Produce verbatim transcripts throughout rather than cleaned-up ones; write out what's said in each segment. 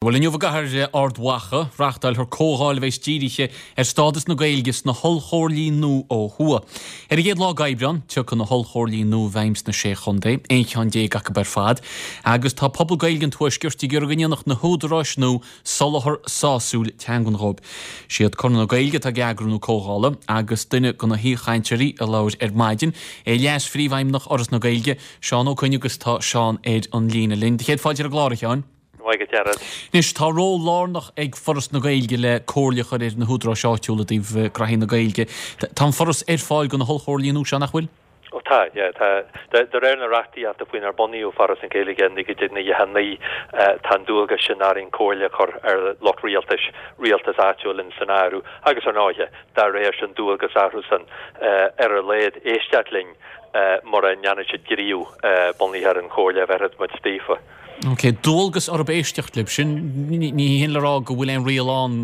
Bhuel, inniu i gcathair Ard Mhacha, reáchtálfar comhdháil a bheas dírithe ar stádas na Gaeilge sna hollchomhairlí nua ó thuaidh. Ar an gcéad lá d'Aibreán, tiocfaidh na hollchomhairlí nua i bhfeidhm sna Sé Chontae, aon cheann déag acu ar fad, agus tá pobal Gaeilge an Tuaiscirt ag iarraidh go ndéanfadh na húdaráis nua soláthar sásúil teangan dhóibh. Siad Conradh na Gaeilge atá ag eagrú na comhdhála agus duine de na haoichainteoirí a labhair ar maidin é Leas-Phríomhfheidhmeannach Fhoras na Gaeilge, Seán Ó Coinn agus tá Seán ar an líne linn. Do chéad fáilte ar an gclár, a Sheáin. Maith go Gerard. Anois, tá ról lárnach ag Foras na Gaeilge le comhairle a chur ar na húdaráis áitiúla i dtaobh graithí na Gaeilge. Tá an Foras ar fáil do na hollchomhairlí nua seo, nach bhfuil? Ó tá, yeah, tá. De réir na reachtaíochta faoinar bunaíodh Foras na Gaeilge i naoi déag nócha a naoi, tá an dualgas sin orainn comhairle a chur ar lucht rialtais, rialtas áitiúil in san áireamh, agus ar ndóighe, dá réir sin dualgas orthusan ar a laghad éisteacht linn mura ndéanann siad gníomh bunaithe ar an chomhairle a bheirfeadh muid daofa. Ok, dualgas orthu éisteacht libh, sin ní hin le rá go bhfuil aon riail ann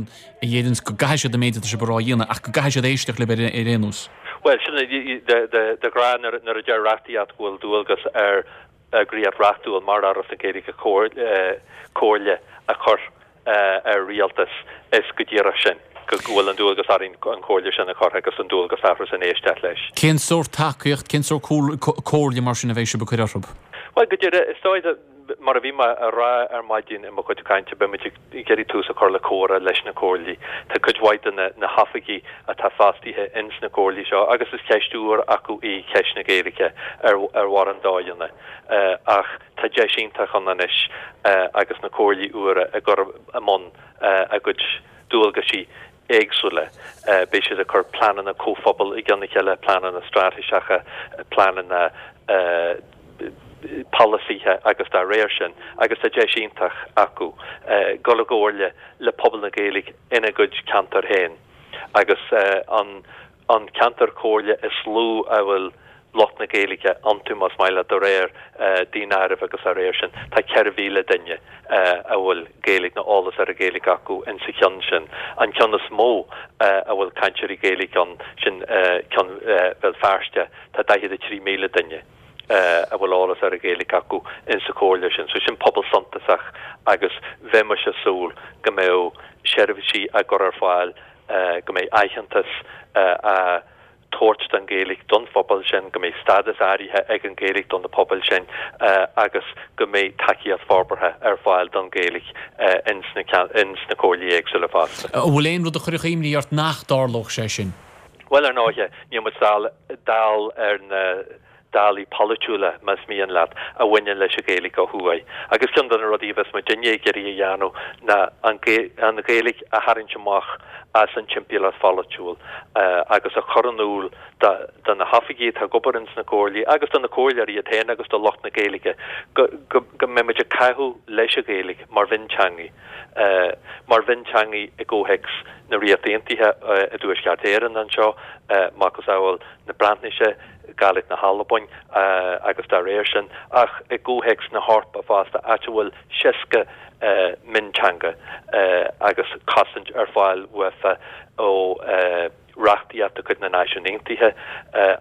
a dheireanns go gcaithfidh siad an méid atá sibh a rá a dhéanamh, ach go gcaithfidh siad éisteacht libh ar aon nós. Bhuel, sin de ghnáth nuair a deir reachtaíocht go bhfuil dualgas ar eagraíocht reachtúil mar Fhoras na Gaeilge comhairle a chur ar rialtas, is go díreach sin, go bhfuil an dualgas orainn an chomhairle sin a chur agus an dualgas orthusan éisteacht leis. Cén sórt tacaíocht, cén sórt comhairle mar sin a bheidh sibh ag cur orthu? Bhuel, go díreach, is dóigh, mar a bhí mé a rá ar maidin i mo chuid cainte, beidh muid ag iarraidh tús a chur le comhrá leis na comhairlí. Tá cuid mhaith de na hoifigigh atá fostaithe ins na comhairlí seo agus is ceist úr acu í ceist na Gaeilge ar mhórán dóigheanna. Ach tá deis iontach ann anois agus na comhairlí úra ag cur i mbun a gcuid dualgaisí éagsúla. Beidh siad ag cur pleananna comhphobail i gcionn a chéile, pleananna straitéiseacha, pleananna polasaithe agus dá réir sin, agus tá deis iontach acu dul i gcomhairle le pobal na Gaeilge ina gcuid ceantar féin agus an an ceantar comhairle is lú a bhfuil lucht na Gaeilge iontu, más maith leat, de réir daonáirimh agus dá réir sin, tá ceithre mhíle duine a bhfuil Gaeilge nó eolas ar an Ghaeilge acu insa cheann sin. An ceann is mó a bhfuil cainteoirí Gaeilge ann, sin ceann Bhéal Feirste, tá daichead a trí míle duine a bhfuil eolas ar an Ghaeilge acu insa chomhairle sin. So sin pobal suntasach agus bheimis ag súil go mbeadh seirbhísí á gcur ar fáil, go mbeidh aitheantas á tabhairt don Ghaeilge don phobal sin, go mbeidh stádas áirithe ag an Ghaeilge do na pobail sin agus go mbeidh tacaíocht forbartha ar fáil don Ghaeilge ins na comhairlí éagsúla fosta. An bhfuil aon rud a chuirfeadh imní ort nach dtarlódh sé sin? Bhuel, ar ndóighe, níl muid dall ar na dálaí polaitiúla, más mian leat, a bhaineann leis an Ghaeilge ó thuaidh. Agus ceann de na rudaí a bheas muidinne ag iarraidh a dhéanamh ná an Ghaeilge a tharraingt amach as an timpeallacht pholaitiúil agus a chur in iúl do na hoifigigh atá ag obair ins na comhairlí agus do na comhairleoirí iad féin agus do lucht na Gaeilge go go mbeidh muid ag caitheamh leis an Ghaeilge mar mhionteangaidh, mar mhionteangaidh i gcomhthéacs na Ríochta Aontaithe i dTuaisceart Éireann anseo, macasamhail na Breatnaise. Gàidhlig na hAlbain agus dá réir sin, ach i gcomhthéacs na hEorpa fosta, áit a bhfuil seasca mionteanga agus cosaint ar fáil uafa ó reachtaíocht de chuid na Náisiún Aontaithe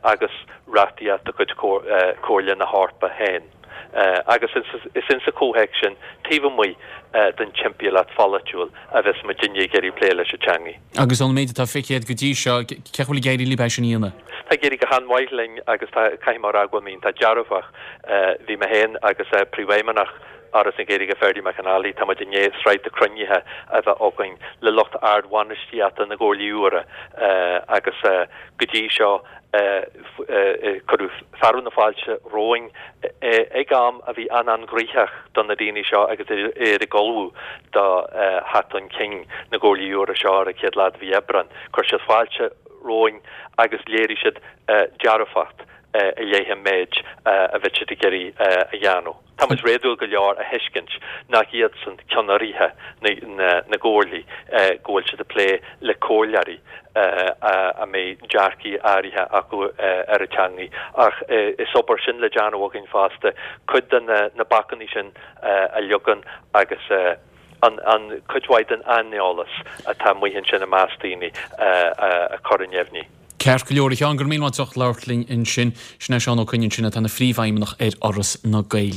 agus reachtaíocht de chuid Chomhairle na hEorpa féin. Agus is insa chomhthéacs sin, taobh amuigh den timpeallacht pholaitiúil, a bheas muidinne ag iarraidh plé leis an teangaidh. Agus ón méid atá feicthe agat go dtí seo, cén chaoi a bhfuil ag éirí libh é sin a dhéanamh? Tá ag éirí go han-mhaith linn agus tá, caithfidh mé a rá go bhfuil mé iontach dearfach. Bhí mé féin agus Príomhfheidhmeannach Fhoras na Gaeilge, Ferdie McAnally, tá muid i ndiaidh sraith de chruinnithe a bheith againn le lucht ardbhainistíochta na gcomhairlí úra agus go dtí seo cuireadh fearadh na fáilte romhainn ag am a bhí an-an-ghnoitheach do na daoine seo agus iad ag ullmhú do theacht chun cinn na gcomhairlí úra seo ar an chéad lá de mhí Aibreán. Chuir siad fáilte romhainn agus léirigh siad dearfacht i leith an méid a bheadh siad ag iarraidh a dhéanamh. Tá muid réadúil go leor a thuiscint nach iadsan ceannairithe na gcomhairlí, go bhfuil siad ag plé le comhairleoirí a mbeidh dearcaí áirithe acu ar an teangaidh. Ach is obair sin le déanamh againn fosta, cuid de na bacanna sin a leagan agus an cuid mhaith den aineolas atá amuigh ansin i measc daoine a chur i neamhní. Ceart go leor, a Sheáin, go raibh míle maith agat as ucht labhairt linn ansin. Sin é Seán Ó Coinn ansin atá ina phríomhfheidhmeannach ar Fhoras na Gaeilge.